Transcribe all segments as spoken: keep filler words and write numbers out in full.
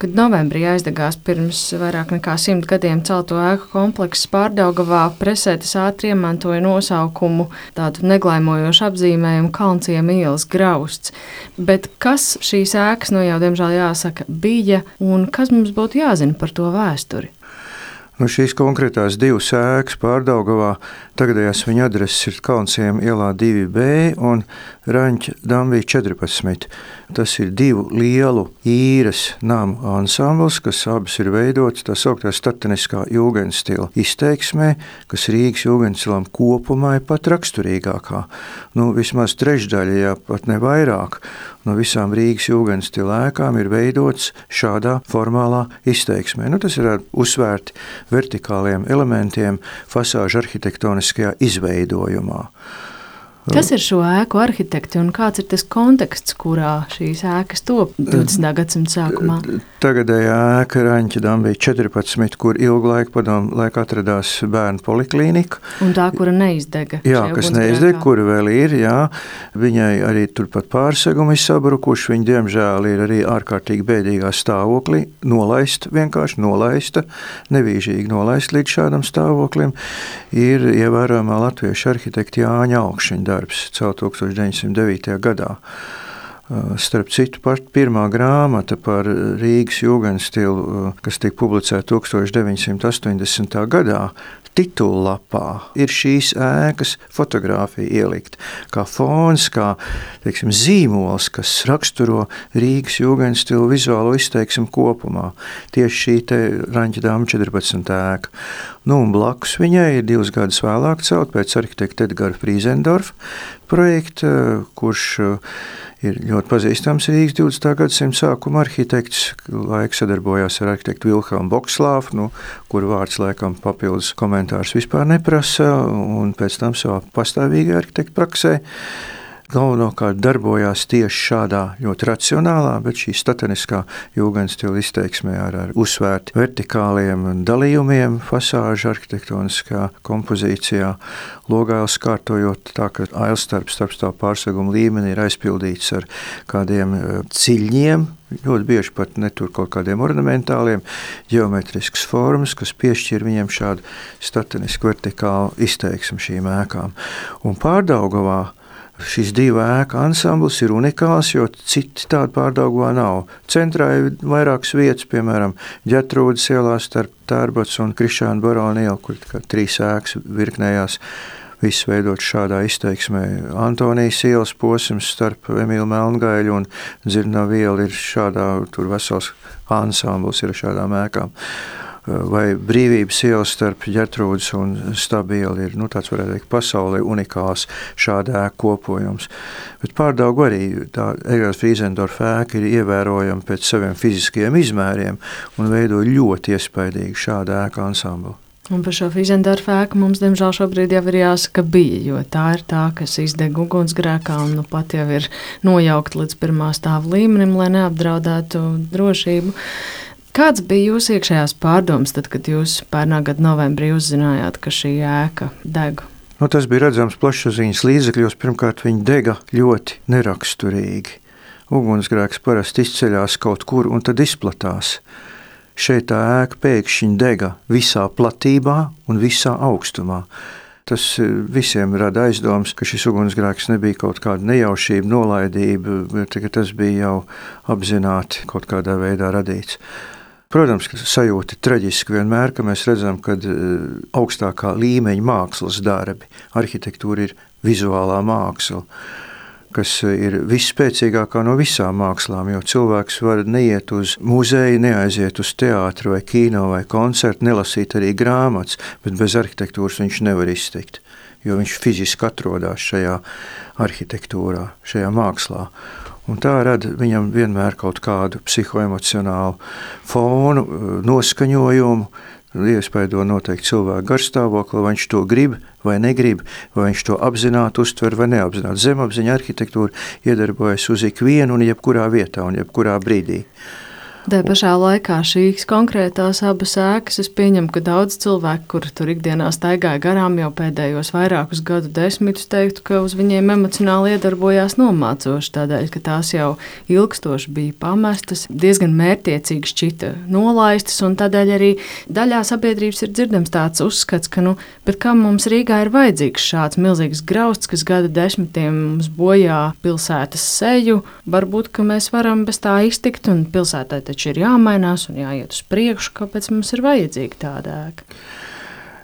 kad novembrī aizdegās pirms vairāk nekā simt gadiem celto ēku komplekss Pārdaugavā, presē tas ātri iemantoja nosaukumu, tādu neglaimojošu apzīmējumu Kalnciema ielas grausts. Bet kas šīs ēkas, nu jau diemžēl jāsaka, bija un kas mums būtu jāzina par to vēsturi? Nu, šīs konkrētās divas ēkas Pārdaugavā, tagadējās viņa adreses ir Kalnciema ielā divi B un Raņķa Dambija četrpadsmit. Tas ir divu lielu īres namu ansambls, kas abas ir veidotas tā sauktā stateniskā jūgenstila izteiksmē, kas Rīgas jūgenstilam kopumā ir pat raksturīgākā. Nu, vismaz trešdaļa, ja pat ne vairāk, no visām Rīgas jūgenstila ēkām ir veidotas šādā formālā izteiksmē. Nu, tas ir uzsvērti vertikāliem elementiem fasāžu arhitektoniskajā izveidojumā. Kas ir šo ēku arhitekti un kāds ir tas konteksts, kurā šīs ēkas top divdesmitā gadsimta sākumā? Tagadējā ēka Raņķa Dambija četrpadsmit, kur ilgu laiku padomu laiku atradās bērnu poliklīnika. Un tā, kura neizdega. Jā, kas neizdega, kura vēl ir, jā. Viņai arī turpat pārsegumi sabrukuši, viņa diemžēl ir arī ārkārtīgi bēdīgā stāvoklī, nolaista, vienkārši nolaista, nevīžīgi nolaista līdz šādam stāvoklim, ir ievērojamā latviešu arhitekta Jāņa Augšņa darbs celt tūkstoš deviņsimt devītajā gadā. Starp citu, pat pirmā grāmata par Rīgas jūgenstilu, kas tika publicēta tūkstoš deviņsimt astoņdesmitā gadā, titullapā ir šīs ēkas fotogrāfija ielikt kā fons, kā, teiksim, zīmols, kas raksturo Rīgas jūgenstilu vizuālo izteiksmu kopumā. Tieši šī te Raņķa Dambija četrpadsmit ēka. Nu, un blakus viņai ir divus gadus vēlāk celt pēc arhitekta Edgara Frīzendorfa projekta, kurš ir ļoti pazīstams Rīgas divdesmitā gadsimta sākuma arhitekts. Laika sadarbojās ar arhitektu Vilhelmu Bokslāfu, nu, kur vārds laikam papildus komentārs vispār neprasa, un pēc tam savā pastāvīgajā arhitekta praksē galvenokārt darbojās tieši šādā ļoti racionālā, bet šī stateniskā jūgenstila izteiksmē ar, ar uzsvērti vertikāliem dalījumiem, fasāžu arhitektoniskā kompozīcijā, logailes kārtojot tā, ka ailstarps starpstāv pārseguma līmenī ir aizpildīts ar kādiem ciļņiem, ļoti bieži pat netur kaut kādiem ornamentāliem, ģeometriskas formas, kas piešķir viņiem šādu statelisku vertikālu izteiksmu šīm ēkām. Un Pārdaugavā šis divu ēku ansambls ir unikāls, jo citi tādi Pārdaugavā nav. Centrā ir vairākas vietas, piemēram, Ģertrūdes ielā starp Tērbats un Krišāna Barona ielu, kur trīs ēkas virknējās, viss veidot šādā izteiksmē. Antonijas ielas posms starp Emīlu Melngaļu un Dzirnavu ielu ir šādā, tur vesels ansambls ir šādām ēkām. Vai Brīvības iela starp Ģertrūdes un Stabu ielu ir, nu, tāds varētu teikt, pasaulē unikāls šāda ēka kopojums. Bet Pārdaugavu arī tā Edgara Frīzendorfa ēka ir ievērojama pēc saviem fiziskajiem izmēriem un veido ļoti iespaidīgu šādu ēku ansamblu. Un par šo Frīzendorfa ēku mums, diemžēl, šobrīd jau ir jāsaka bija, jo tā ir tā, kas izdeg ugunsgrēkā un nu pat jau ir nojaukta līdz pirmā stāva līmenim, lai neapdraudētu drošību. Kāds bija jūsu iekšējās pārdomas, tad, kad jūs pērnā gada novembrī uzzinājāt, ka šī ēka deg? Nu, tas bija redzams plašsaziņas līdzekļos. Pirmkārt, viņa dega ļoti neraksturīgi. Ugunsgrēks parasti izceļās kaut kur un tad izplatās. Šeit tā ēka pēkšņi dega visā platībā un visā augstumā. Tas visiem rada aizdomas, ka šis ugunsgrēks nebija kaut kāda nejaušība, nolaidība, bet tas bija jau apzināti kaut kādā veidā radīts. Protams, ka sajūta ir traģiski vienmēr, ka mēs redzam, ka augstākā līmeņa mākslas darbi, arhitektūra ir vizuālā māksla, kas ir visspēcīgākā no visām mākslām, jo cilvēks var neiet uz muzeju, neaiziet uz teātru vai kino vai koncertu, nelasīt arī grāmatas, bet bez arhitektūras viņš nevar iztikt, jo viņš fiziski atrodas šajā arhitektūrā, šajā mākslā. Un tā rada viņam vienmēr kaut kādu psihoemocionālu fonu, noskaņojumu, iespaido noteikti cilvēku garstāvokli, vai viņš to grib vai negrib, vai viņš to apzināti uztver vai neapzināti. Zemapziņa arhitektūra iedarbojas uz ikvienu un jebkurā vietā un jebkurā brīdī. Tā pašā laikā šīs konkrētās abas ēkas, es pieņemu, ka daudz cilvēku, kuri tur ikdienā staigāja garām jau pēdējos vairākus gadu desmitus, teiktu, ka uz viņiem emocionāli iedarbojās nomācoši, tādēļ, ka tās jau ilgstoši bija pamestas, diezgan mērķiecīgi šķita nolaistas, un tādēļ arī daļā sabiedrības ir dzirdams tāds uzskats, ka, nu, bet kam mums Rīgā ir vajadzīgs šāds milzīgs grausts, kas gada desmitiem mums bojā pilsētas seju, varbūt, ka mēs varam bez tā iztikt, un pilsētai taču ir jāmainās un jāiet uz priekšu, kāpēc mums ir vajadzīga tāda ēka.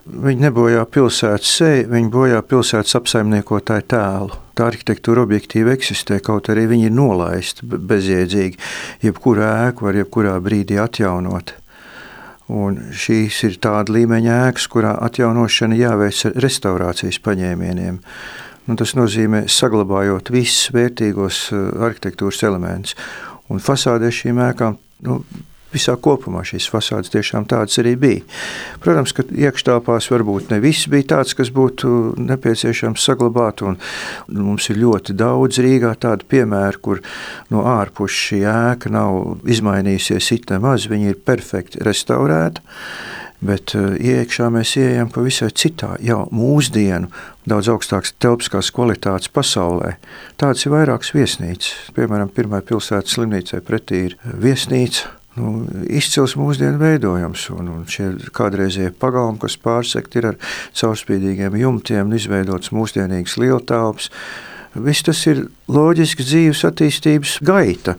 Viņi nebojā pilsētas seju, viņi bojā pilsētas apsaimniekotāju tēlu. Tā arhitektūra objektīvi eksistē, kaut arī viņi ir nolaisti bezjēdzīgi. Jebkuru ēku var jebkurā brīdī atjaunot. Un šīs ir tāda līmeņa ēkas, kurā atjaunošana jāveic ar restaurācijas paņēmieniem. Nu, tas nozīmē saglabājot visus vērtīgos arhitektūras elementus. Un fasādē šīm ēkām, nu, visā kopumā šīs fasādes tiešām tādas arī bija. Protams, ka iekštāpās varbūt ne viss bija tāds, kas būtu nepieciešams saglabāt, un mums ir ļoti daudz Rīgā tādu piemēru, kur no ārpus šī ēka nav izmainījusies it nemaz, viņa ir perfekti restaurēta, bet iekšā mēs ieejam pavisam citā, jau mūsdienu, daudz augstākas telpiskās kvalitātes pasaulē. Tāds ir vairākas viesnīcas. Piemēram, pirmā pilsētas slimnīcai pretī ir viesnīca, nu, izcils mūsdienu veidojums, un, un šie kādreizie pagalmi, kas pārsekti ir ar caurspīdīgiem jumtiem, izveidots mūsdienīgs lieltelpas. Viss tas ir loģisks dzīves attīstības gaita.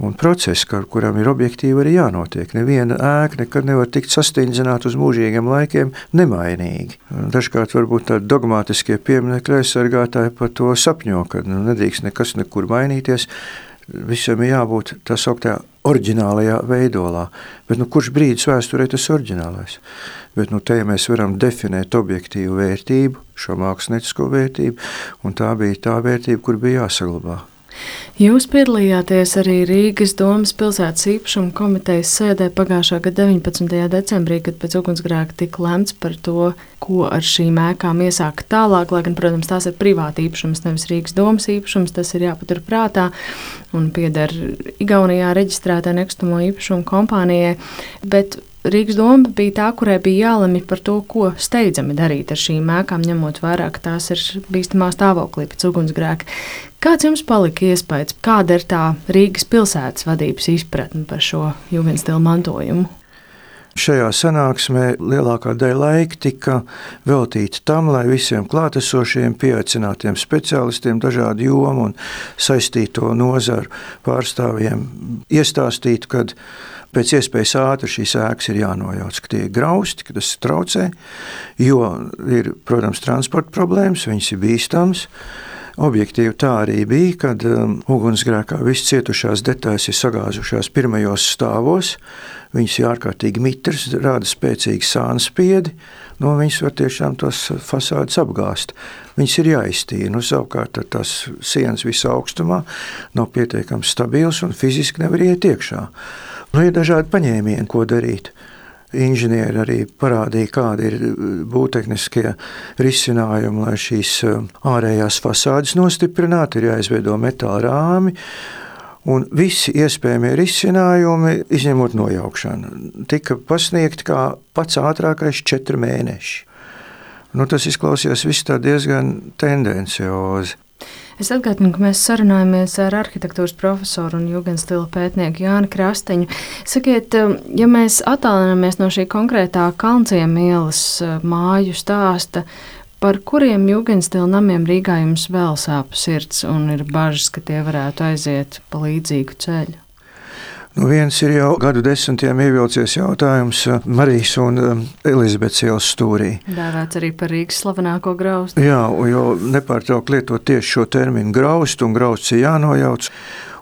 Un process, kuram ir objektīvi arī jānotiek. Neviena ēka nekad nevar tikt sastindzināta uz mūžīgiem laikiem nemainīgi. Dažkārt varbūt tādi dogmātiskie pieminekļi aizsargātāji par to sapņo, ka nu, nedrīkst nekas nekur mainīties. Visam ir jābūt tā sauktā oriģinālajā veidolā. Bet nu, kurš brīdis vēsturē tas oriģinālais? Bet nu, te ja mēs varam definēt objektīvu vērtību, šo māksliniecisko vērtību, un tā bija tā vērtība, kur bija jāsaglabā. Jūs piedalījāties arī Rīgas domas pilsētas īpašuma komitejas sēdē pagājušā gada deviņpadsmitajā decembrī, kad pēc ugunsgrēka tika lemts par to, ko ar šīm ēkām iesākt tālāk, lai gan, protams, tās ir privāti īpašums, nevis Rīgas domas īpašums, tas ir jāpatur prātā un pieder Igaunijā reģistrētā nekustamo īpašumu kompānijai, bet Rīgas doma bija tā, kurai bija jālemj par to, ko steidzami darīt ar šīm ēkām, ņemot vērā, ka tās ir bīstamā stāvoklī pēc ugunsgrēka. Kāds jums palika iespējas, kāda ir tā Rīgas pilsētas vadības izpratne par šo jugendstilu mantojumu? Šajā sanāksmē lielākā daļa laika tika veltīta tam, lai visiem klātesošiem pieaicinātiem speciālistiem dažādu jomu un saistīto nozaru pārstāvjiem iestāstītu, kad pēc iespējas ātri šīs ēkas ir jānojauc, ka tie ir grausti, ka tas traucē, jo ir, protams, transporta problēmas, viņas ir bīstams. Objektīvi tā arī bija, kad um, ugunsgrēkā viss cietušās detaļas ir sagāzušās pirmajos stāvos, viņas ir ārkārtīgi mitras, rāda spēcīgi sānspiedi, no viņas var tiešām tos fasādes apgāst. Viņas ir jāiztīra, nu savukārt tās sienas visā augstumā nav pietiekami stabils un fiziski nevar iet iekšā. Nu, ir dažādi paņēmieni, ko darīt. Inženieri arī parādīja, kādi ir būvtehniskie risinājumi, lai šīs ārējās fasādes nostiprinātu, ir jāizveido metāla rāmi, un visi iespējamie risinājumi, izņemot nojaukšanu, tika pasniegti kā pats ātrākais četri mēneši. Nu, tas izklausījās viss tā diezgan tendenciozi. Es atgādinu, ka mēs sarunājamies ar arhitektūras profesoru un jugendstila pētnieku Jāni Krasteņu. Sakiet, ja mēs attālināmies no šī konkrētā Kalnciema ielas māju stāsta, par kuriem jugendstila namiem Rīgā jums vēl sāp sirds un ir bažas, ka tie varētu aiziet pa līdzīgu ceļu? Nu, viens ir jau gadu desmitiem ievilcies jautājums Marijas un Elizabetes ielas stūrī. Dēvēts arī par Rīgas slavenāko graustu. Jā, jo nepārtraukt lietot tieši šo terminu graustu, un grausts ir jānojauc.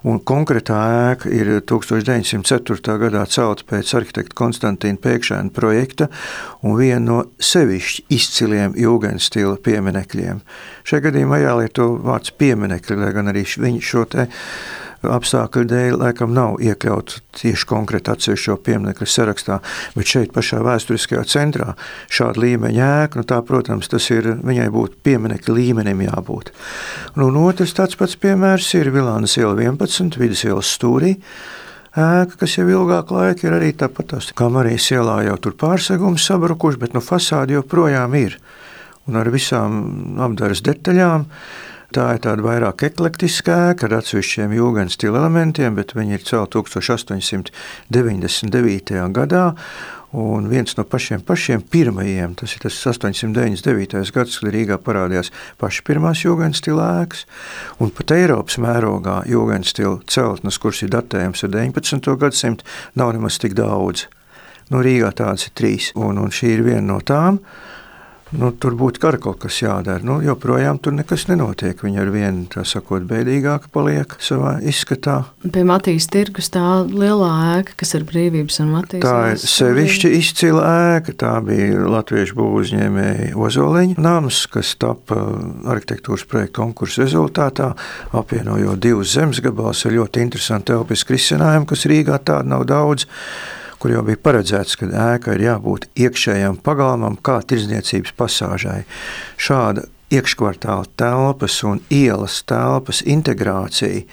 Un konkrētā ēka ir tūkstoš deviņsimt ceturtā gadā celta pēc arhitekta Konstantīna Pēkšēna projekta un viena no sevišķi izciliem jugendstila pieminekļiem. Šajā gadījumā jālieto vārds pieminekļi, lai gan arī viņi šo te apstākļu dēļ laikam nav iekļauts tieši konkrēti atsevišķo pieminekļu sarakstā, bet šeit pašā vēsturiskajā centrā šāda līmeņa ēka, nu tā, protams, tas ir, viņai būtu pieminekļu līmenim jābūt. Un otrs tāds pats piemērs ir Vilānas iela vienpadsmit, Vidus ielas stūrī ēka, kas jau ilgāk laika ir arī tāpat tās Kamarijas ielā jau tur pārsegums sabrukuši, bet nu fasādi joprojām ir. Un ar visām apdares detaļām. Tā ir tāda vairāk eklektiska ēka ar atsevišķiem jūgenstila elementiem, bet viņi ir celti tūkstoš astoņsimt deviņdesmit devītajā gadā. Un viens no pašiem pašiem pirmajiem, tas ir tas astoņsimt deviņdesmit devītais gads, kad Rīgā parādījās paši pirmās jūgenstila ēkas. Un pat Eiropas mērogā jūgenstila celtnes, kuras ir datējums ar deviņpadsmito gadsimtu, nav nemaz tik daudz. Nu, Rīgā tādas ir trīs, un, un šī ir viena no tām. Nu, tur būtu kara kaut kas jādara. Nu, joprojām tur nekas nenotiek. Viņa ar vienu, tā sakot, bēdīgāka paliek savā izskatā. Pie Matīs tirgus tā lielā ēka, kas ir Brīvības un Matīs. Tā ir sevišķi izcila ēka. Tā bija latviešu būvuzņēmēji Ozoliņa nams, kas tapa arhitektūras projekta konkursa rezultātā, apvienojot divus zemes gabalus ar ļoti interesantu telpisku risinājumu, kas Rīgā tāda nav daudz, kur jau bija paredzēts, ka ēka ir jābūt iekšējām pagalmam kā tirdzniecības pasāžai. Šāda iekškvartāla telpas un ielas telpas integrācija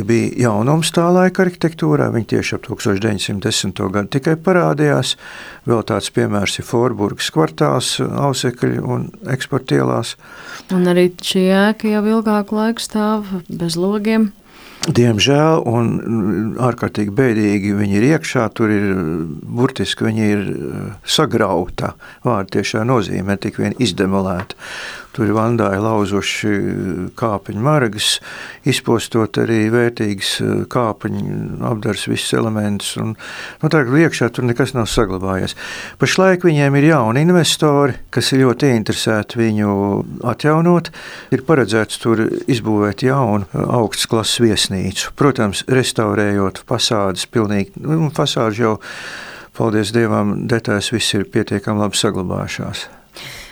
bija jaunums tā laika arhitektūrā. Viņi tieši ap tūkstoš deviņsimt desmito gadu tikai parādījās. Vēl tāds piemērs ir Forburgas kvartāls, Ausekļu un Eksporta ielās. Un arī šī ēka jau ilgāku laiku stāv bez logiem. Diemžēl, un ārkārtīgi bēdīgi viņi ir iekšā, tur ir burtiski viņi ir sagrauta, vārda tiešā nozīmē, tik vien izdemolēta. Tur ir vandāji lauzuši kāpeņu margas, izpostot arī vērtīgas kāpeņu apdars visus elementus, un nu, tā, iekšā tur nekas nav saglabājies. Pašlaik viņiem ir jauni investori, kas ir ļoti interesēti viņu atjaunot. Ir paredzēts tur izbūvēt jaunu augstas klases viesnīcu. Protams, restaurējot fasādes pilnīgi, nu, fasādes jau, paldies Dievam, detaļas viss ir pietiekami labi saglabājušās.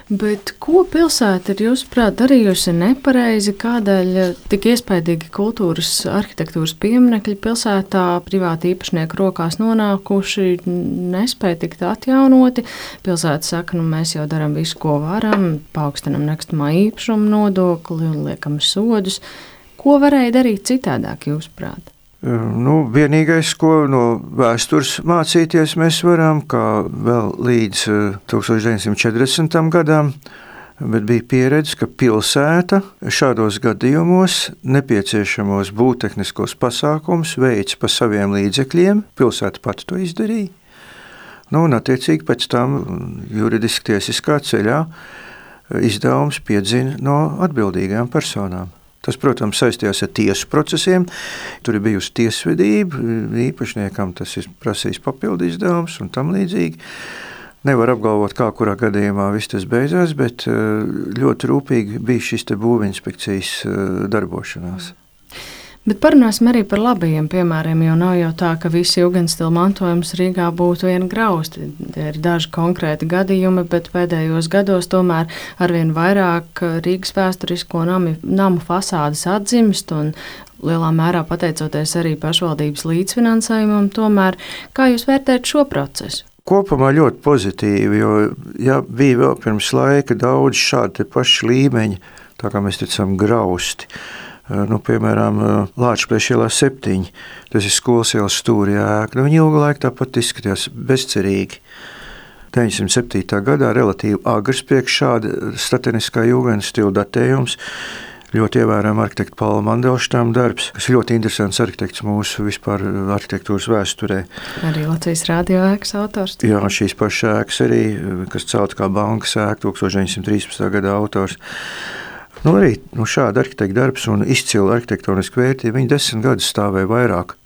Bet ko pilsēta ir, jūsuprāt, darījusi nepareizi, kādēļ tik iespaidīgi kultūras arhitektūras pieminekļi pilsētā privāti īpašnieku rokās nonākuši, nespēja tikt atjaunoti? Pilsēta saka, nu mēs jau darām visu, ko varam, paaugstinam nekustamā īpašuma nodokli un liekam sodus. Ko varēja darīt citādāk, jūsuprāt? Nu, vienīgais, ko no vēstures mācīties mēs varam, kā vēl līdz tūkstoš deviņsimt četrdesmitajam gadam, bet bija pieredze, ka pilsēta šādos gadījumos nepieciešamos būvtehniskos pasākumus veic pa saviem līdzekļiem. Pilsēta pati to izdarīja. Nu, un attiecīgi pēc tam juridiski tiesiskā ceļā izdevums piedzina no atbildīgām personām. Tas, protams, saistījās ar tiesu procesiem. Tur ir bijusi tiesvedība, īpašniekam tas ir prasījis papildu izdevums un tam līdzīgi. Nevar apgalvot, kā kurā gadījumā viss tas beidzās, bet ļoti rūpīgi bija šis te būvinspekcijas darbošanās. Bet parunāsim arī par labajiem piemēriem, jo nav jau tā, ka visi jūgenstila mantojums Rīgā būtu viena grausti. Tie ir daži konkrēti gadījumi, bet pēdējos gados tomēr arvien vairāk Rīgas vēsturisko namu, namu fasādes atzimst un lielā mērā pateicoties arī pašvaldības līdzfinansējumam. Tomēr, kā jūs vērtējat šo procesu? Kopumā ļoti pozitīvi, jo ja bija vēl pirms laika daudz šādi paši līmeņi, tā kā mēs ticam grausti. Nu, piemēram, Lāčplēša ielā septiņi, tas ir skolas ielas stūri ēka. Nu, viņi ilgu laiku tāpat izskatījās bezcerīgi. deviņsimt septītajā gadā relatīvi agrs priekš šāda stateniskā jūgenstila datējums. Ļoti ievērojama arhitekta Paula Mandelštama darbs, kas ir ļoti interesants arhitekts mūsu vispār arhitektūras vēsturē. Arī Latvijas radio ēkas autors. Jā, šīs pašas ēkas arī, kas celta kā bankas ēka, tūkstoš deviņsimt trīspadsmitā gadā autors. Nu, arī nu, šāda arhitekta darbs un izcila arhitektoniska vērtība, viņi desmit gadus stāvēja vairāk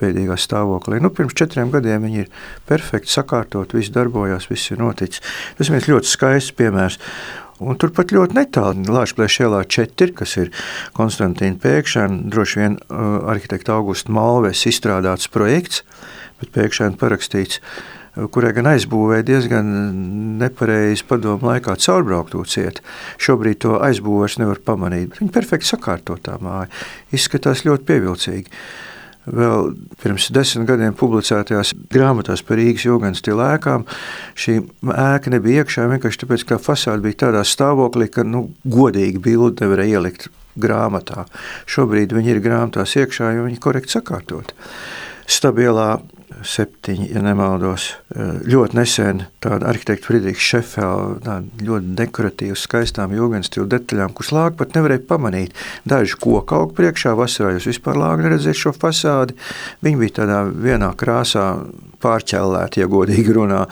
pēdīgā stāvoklī. Nu, pirms četriem gadiem viņi ir perfekti sakārtot, viss darbojās, viss ir noticis. Tas ir ļoti skaists piemērs. Un turpat ļoti netālu Lāčplēša ielā četri, kas ir Konstantīna Pēkšēna, droši vien uh, arhitekta Augusta Malves izstrādāts projekts, bet Pēkšēna parakstīts, kurai gan aizbūvēja diezgan nepareizi padomu laikā caurbrauktū ciet. Šobrīd to aizbūvēs nevar pamanīt. Viņa perfekti sakārtotā māja. Izskatās ļoti pievilcīgi. Vēl pirms desmit gadiem publicētajās grāmatās par Rīgas jūgenstila ēkām šī ēka nebija iekšā, vienkārši tāpēc, ka fasāde bija tādā stāvoklī, ka nu, godīgi bildi nevarēja ielikt grāmatā. Šobrīd viņi ir grāmatās iekšā, jo viņi korekti sakārtot. Stabilā septiņi, ja nemaldos. Ļoti nesen tāda arhitekta Friedrichs Šefela, tāda ļoti dekoratīva, skaistām jūgenstilu detaļām, kuras lāga pat nevarēja pamanīt. Daži koka aug priekšā, vasarā jūs vispār lāga neredzēt šo fasādi. Viņi bija tādā vienā krāsā pārķellēti, ja godīgi runā.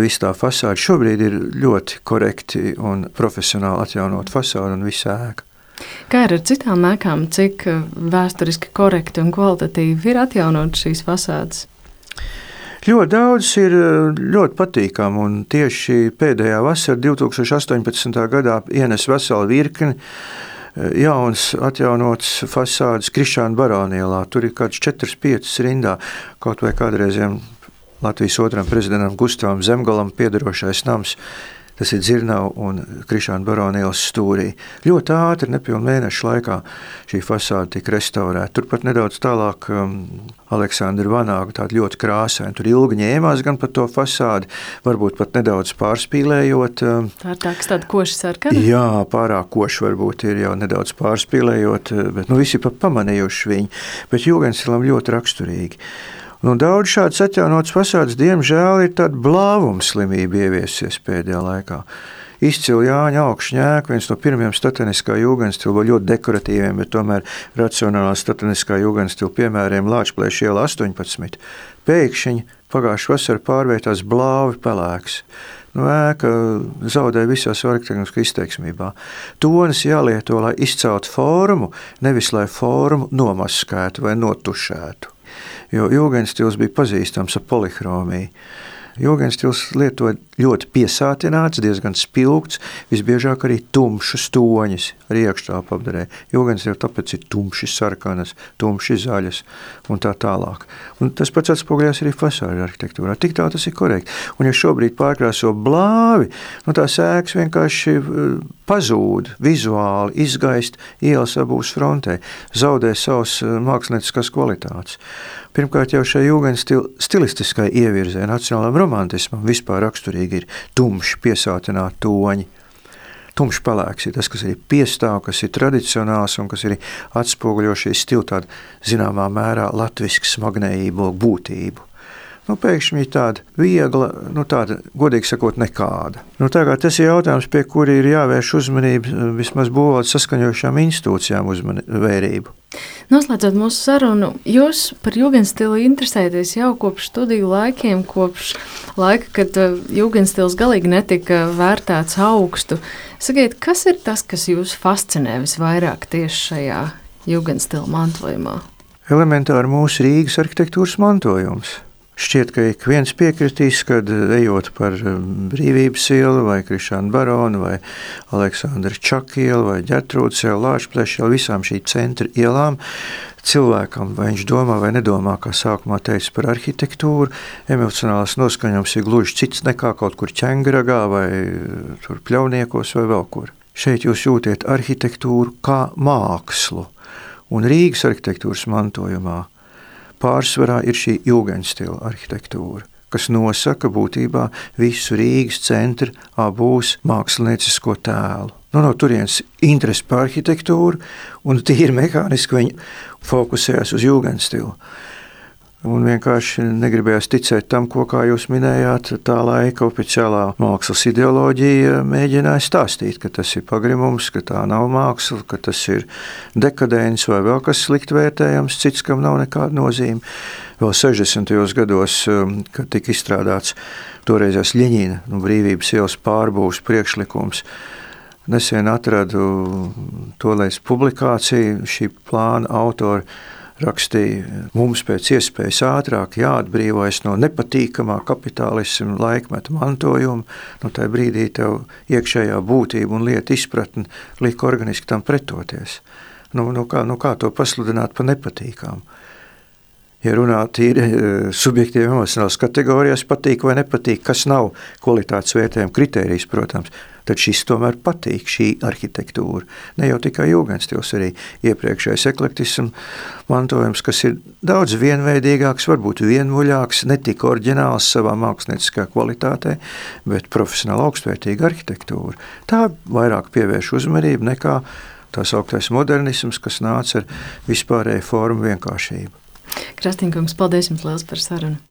Viss tā fasāde šobrīd ir ļoti korekti un profesionāli atjaunot fasādi un visu ēku. Kā ir ar citām ēkām, cik vēsturiski korekti un kvalitatīvi ir atjaunot šīs fasādes? Ļoti daudz ir ļoti patīkami, un tieši pēdējā vasara divtūkstoš astoņpadsmitā gadā ienes veselu virkni jauns atjaunots fasādes Krišāna Barona ielā. Tur ir kāds četras piecas rindā, kaut vai kādreiziem Latvijas otram prezidentam Gustavam Zemgalam piederošais nams. Tas ir Dzirnavu un Krišāna Barona ielas stūrī. Ļoti ātri, nepilnu mēnešu laikā šī fasāde tika restaurēta. Turpat nedaudz tālāk um, Aleksandra Vanāga, tāda ļoti krāsaina. Tur ilgi ņēmās gan par to fasādi, varbūt pat nedaudz pārspīlējot. Um, Tā ir tā, kas tāda koša sarkana? Jā, pārāk koša varbūt ir jau nedaudz pārspīlējot, bet nu, visi pat pamanījuši viņu. Bet jūgenstilam ļoti raksturīgi. Nu, daudz šādas atjaunotas fasādes, diemžēl, ir tāda blāvuma slimība ieviesies pēdējā laikā. Izcili Jāņa Augšņēka, viens no pirmiem stateniskā jūgenstila, ļoti dekoratīviem, bet tomēr racionālā stateniskā jūgenstila piemēriem Lāčplēša iela astoņpadsmit. Pēkšņi pagājušā vasara pārvērtās blāvi pelēks. Nu, ēka zaudē visās arhitektūras izteiksmībā. Tonis jālieto, lai izceltu formu, nevis lai formu nomaskētu vai notušētu. Jo jūgenstils bija pazīstams ar polihromiju. Jūgenstils lietoja ļoti piesātināts, diezgan spilgts, visbiežāk arī tumšas toņas ar iekštāpu apdarē. Jūgenstils tāpēc ir tumši sarkanas, tumši zaļas un tā tālāk. Un tas pats atspoguļās arī fasāžu arhitektūrā. Tik tā tas ir korekti. Un ja šobrīd pārkrāso blāvi, nu tās ēkas vienkārši pazūd vizuāli, izgaist ielas abūs frontē, zaudē savas mākslinieckās kvalitātes. Pirmkārt jau šai jūgenstila stilistiskai ievirzē, nacionālam romantismam vispār raksturīgi ir tumši piesātināti toņi. Tumšs pelēks ir tas, kas ir piestāv, kas ir tradicionāls un kas ir atspoguļo šī stila tāda zināmā mērā latvisku smagnējību, būtību. Nu, pēkšņi ir tāda viegla, nu tāda, godīgi sakot, nekāda. Nu, tagad tas ir jautājums, pie kuri ir jāvērš uzmanība vismaz būvvaldes saskaņojošām institūcijām uzmanību. Noslēdzot mūsu sarunu, jūs par jūgenstilu interesēties jau kopš studiju laikiem, kopš laika, kad jūgenstils galīgi netika vērtēts augstu. Sakiet, kas ir tas, kas jūs fascinē visvairāk tieši šajā jūgenstila mantojumā? Elementāri mūsu Rīgas arhitektūras mantojums. Šķiet, ka ik viens piekritīs, kad ejot par Brīvības ielu vai Krišāna Barona vai Aleksandra Čaka ielu vai Ģertrūdes ielu, Lāčplēša ielu, visām šī centra ielām cilvēkam, vai viņš domā vai nedomā, kā sākumā teica par arhitektūru, emocionāls noskaņojums ir gluži cits nekā kaut kur Ķengragā vai tur Pļauniekos vai vēl kur. Šeit jūs jūtiet arhitektūru kā mākslu, un Rīgas arhitektūras mantojumā pārsvarā ir šī jūgenstila arhitektūra, kas nosaka būtībā visu Rīgas centra abūs māksliniecisko tēlu. Nu, no turienes interesi par arhitektūru un tīri mehāniski viņi fokusējās uz jūgenstilu. Un vienkārši negribējās ticēt tam, ko, kā jūs minējāt, tā laika oficiālā mākslas ideoloģija mēģināja stāstīt, ka tas ir pagrimums, ka tā nav māksla, ka tas ir dekadents vai vēl kas slikt vērtējams, cits, kam nav nekāda nozīme. Vēl sešdesmitajos gados, kad tika izstrādāts toreizās Ļeņina, nu, Brīvības ielas pārbūves priekšlikums, nesen atradu tolēs publikāciju, šī plāna autori rakstīja, mums pēc iespējas ātrāk jāatbrīvojas no nepatīkamā kapitālisma laikmeta mantojuma, no tajā brīdī tev iekšējā būtība un lieta izpratne lika organiski tam pretoties. Nu, nu, kā, nu kā to pasludināt par nepatīkamu? Ja runā tīri subjektīvi emocionālas kategorijās, patīk vai nepatīk, kas nav kvalitātes vērtējuma kritērijs, protams, tad šis tomēr patīk, šī arhitektūra. Ne jau tikai jūgenstils, arī iepriekšējais eklektisms mantojums, kas ir daudz vienveidīgāks, varbūt vienmuļāks, ne tik oriģināls savā mākslinieckā kvalitātē, bet profesionāli augstvērtīga arhitektūra. Tā vairāk pievērš uzmanību nekā tās augtais modernisms, kas nāca ar vispārēju formu vienkāršību. Krastīnkungs, paldies jums liels par sarunu!